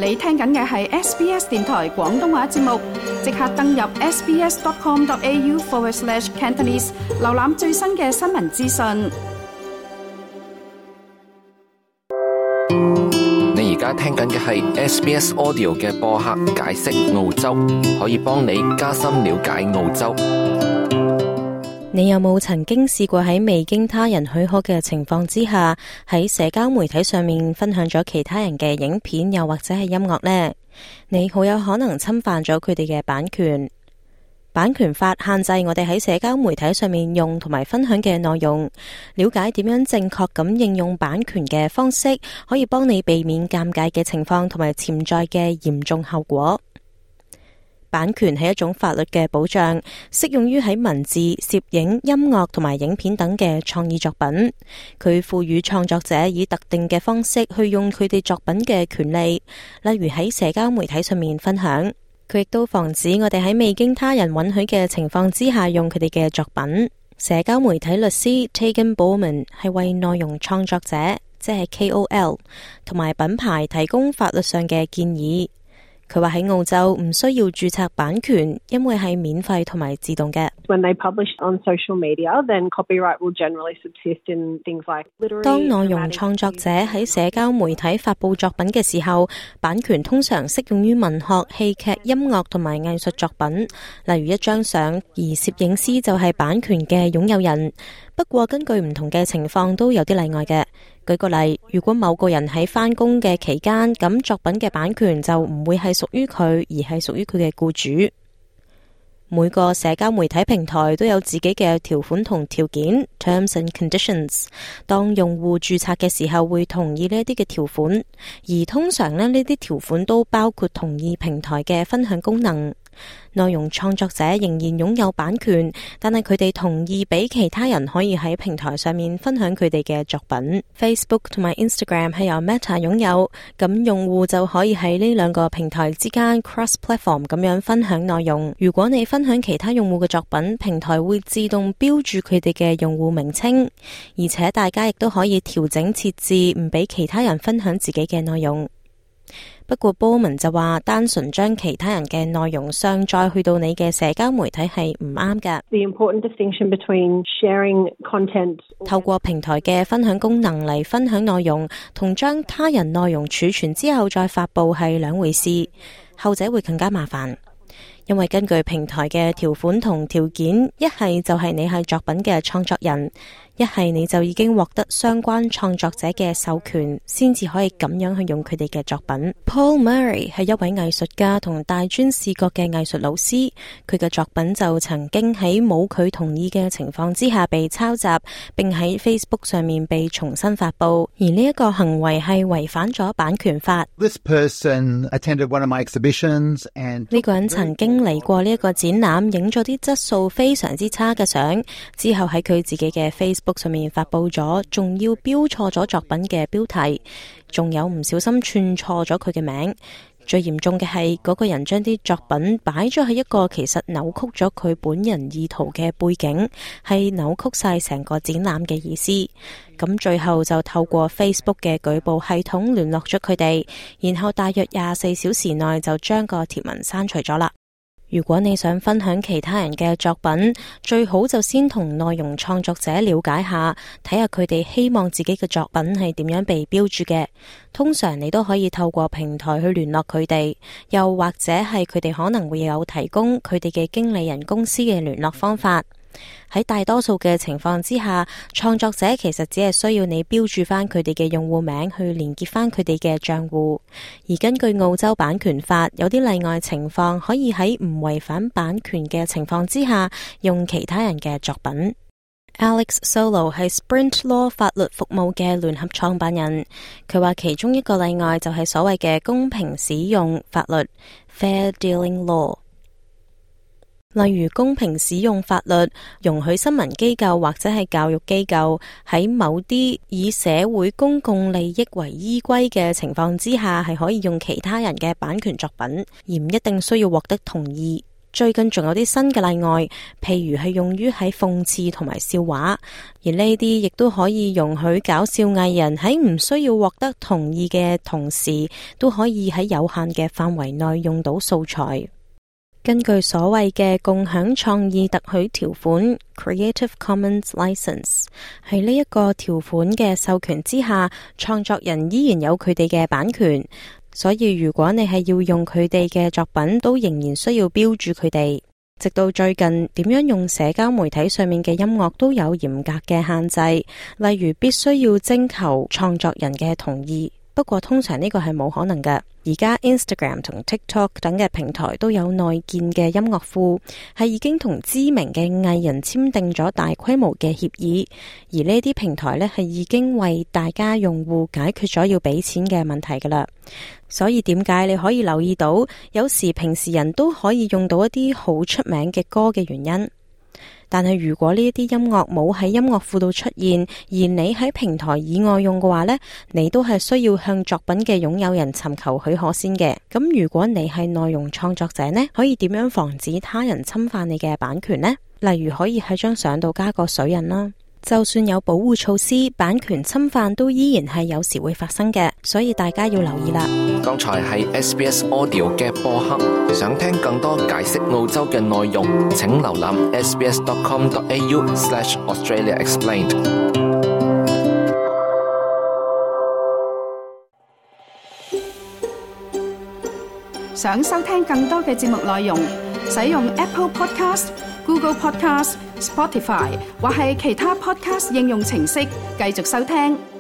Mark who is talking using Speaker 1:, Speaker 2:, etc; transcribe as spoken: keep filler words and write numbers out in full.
Speaker 1: 你聽緊嘅係 S B S 電台廣東話節目，即刻登入 sbs.com.au forward slash Cantonese， 瀏覽最新嘅新聞資訊。
Speaker 2: 你而家聽緊嘅係 S B S Audio 嘅播客解釋澳洲，可以幫你加深了解澳洲。
Speaker 3: 你有冇曾經試過喺未經他人許可嘅情況之下，喺社交媒體上面分享咗其他人嘅影片，又或者係音樂呢？你好有可能侵犯咗佢哋嘅版權。版權法限制我哋喺社交媒體上面用同埋分享嘅內容。了解點樣正確咁應用版權嘅方式，可以幫你避免尷尬嘅情況同埋潛在嘅嚴重後果。版權係一種法律嘅保障，適用於喺文字、攝影、音樂同埋影片等嘅創意作品。佢賦予創作者以特定嘅方式去用佢哋作品嘅權利，例如喺社交媒體上面分享。佢亦都防止我哋喺未經他人允許嘅情況之下用佢哋嘅作品。社交媒體律師 Tegan Bowman 係為內容創作者，即係 K O L 同埋品牌提供法律上嘅建議。佢話喺澳洲唔需要註冊版權，因為係免費同埋自動嘅。
Speaker 4: When they publish on social media, then copyright will generally subsist in things like literary.
Speaker 3: 當內容創作者喺社交媒體發佈作品嘅時候，版權通常適用於文學、戲劇、音樂同埋藝術作品，例如一張相，而攝影師就係版權嘅擁有人。不過根據唔同嘅情況都有啲例外嘅。舉個例，如果某個人喺返工嘅期間，咁作品嘅版權就唔會係屬於佢，而係屬於佢嘅僱主。每個社交媒體平台都有自己嘅條款同條件 （terms and conditions）。當用戶註冊嘅時候，會同意呢一啲嘅條款，而通常呢呢啲條款都包括同意平台嘅分享功能。內容創作者仍然擁有版權，但係佢哋同意俾其他人可以喺平台上面分享佢哋嘅作品。Facebook 同埋 Instagram 係由 Meta 擁有，咁用戶就可以喺呢兩個平台之間 cross-platform 咁樣分享內容。如果你分享其他用戶嘅作品，平台會自動標注佢哋嘅用戶名稱，而且大家亦都可以調整設置，唔俾其他人分享自己嘅內容。不過波文就話，單純將其他人嘅內容上載去到你嘅社交媒體係唔啱㗎。
Speaker 4: The important distinction between sharing content
Speaker 3: 透過平台嘅分享功能嚟分享內容，同將他人內容儲存之後再發佈係兩回事，後者會更加麻煩。因為根據平台嘅條款同條件，一係就係你係作品嘅創作人，一係你就已經獲得相關創作者嘅授權，先至可以咁樣去用佢哋嘅作品。Paul Murray 係一位藝術家同大專視覺嘅藝術老師，佢嘅作品就曾經喺冇佢同意嘅情況之下被抄襲，並喺 Facebook 上面被重新發佈，而呢一個行為係違反咗版權法。
Speaker 5: This person attended one of my exhibitions and
Speaker 3: 呢個人曾經嚟過呢一個展覽，影咗啲質素非常之差嘅相，之後喺佢自己嘅 Facebook上面發佈咗，仲要標錯咗作品嘅標題，仲有唔小心串錯咗佢嘅名。最嚴重嘅係嗰個人將啲作品擺咗喺一個其實扭曲咗佢本人意圖嘅背景，係扭曲晒成個展覽嘅意思。咁最後就透過 Facebook 嘅舉報系統聯絡咗佢哋，然後大約廿四小時內就將個貼文刪除咗啦。如果你想分享其他人嘅作品，最好就先同內容創作者了解下，睇下佢哋希望自己嘅作品係點樣被標注嘅。通常你都可以透過平台去聯絡佢哋，又或者係佢哋可能會有提供佢哋嘅經理人公司嘅聯絡方法。喺大多數嘅情況之下，創作者其實只係需要你標注翻佢哋嘅用戶名去連結翻佢哋嘅賬戶。而根據澳洲版權法，有啲例外情況可以喺唔違反版權嘅情況之下用其他人嘅作品。Alex Solo 係 Sprint Law 法律服務嘅聯合創辦人，佢話其中一個例外就係所謂嘅公平使用法律 Fair Dealing Law。例如公平使用法律容許新聞機構或者係教育機構喺某啲以社會公共利益為依歸嘅情況之下，係可以用其他人嘅版權作品，而唔一定需要獲得同意。最近仲有啲新嘅例外，譬如係用於喺諷刺同埋笑話，而呢啲亦都可以容許搞笑藝人喺唔需要獲得同意嘅同時，都可以喺有限嘅範圍內用到素材。根據所謂嘅共享創意特許條款 Creative Commons License， 喺呢一個條款嘅授權之下，創作人依然有佢哋嘅版權，所以如果你係要用佢哋嘅作品，都仍然需要標注佢哋。直到最近，點樣用社交媒體上面嘅音樂都有嚴格嘅限制，例如必須要徵求創作人嘅同意。不過通常呢個係冇可能嘅。而家 Instagram 同 TikTok 等嘅平台都有內建嘅音樂庫，係已經同知名嘅藝人簽訂咗大規模嘅協議，而呢啲平台呢，係已經為大家用戶解決咗要俾錢嘅問題噶啦。所以點解你可以留意到，有時平時人都可以用到一啲好出名嘅歌嘅原因？但係如果呢一啲音樂冇喺音樂庫度出現，而你喺平台以外用嘅話呢，你都係需要向作品嘅擁有人尋求許可先嘅。咁如果你係內容創作者呢，可以點樣防止他人侵犯你嘅版權呢？例如可以喺張相度加個水印啦。就算有保護措施，版權侵犯都依然係有時會發生嘅，所以大家要留意啦。
Speaker 2: 剛才係 S B S Audio 嘅播客，想聽更多解釋澳洲嘅內容，請瀏覽 s b s dot com dot a u slash Australia Explained。
Speaker 1: 想收聽更多嘅節目內容，使用 Apple Podcast、Google Podcast、Spotify 或係其他 Podcast 應用程式繼續收聽。